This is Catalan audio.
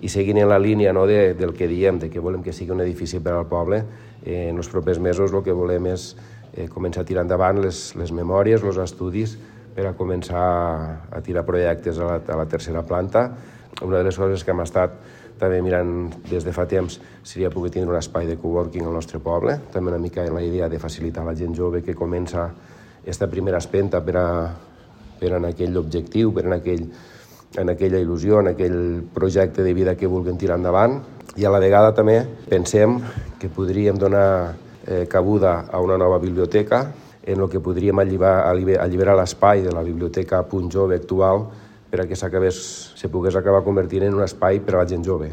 I seguint en la línia del que diem, de que volem que sigui un edifici per al poble, en els propers mesos el que volem és començar a tirar endavant les memòries, els estudis, per a començar a tirar projectes a la tercera planta. Una de les coses que hem estat també mirant des de fa temps seria poder tindre un espai de coworking al nostre poble, també una mica la idea de facilitar a la gent jove que comença aquesta primera espenta per en aquell objectiu, per en aquella il·lusió, en aquell projecte de vida que vulguin tirar endavant. I a la vegada també pensem que podríem donar cabuda a una nova biblioteca en el que podríem alliberar l'espai de la biblioteca Punt Jove actual per a que se pogués acabar convertint en un espai per a la gent jove.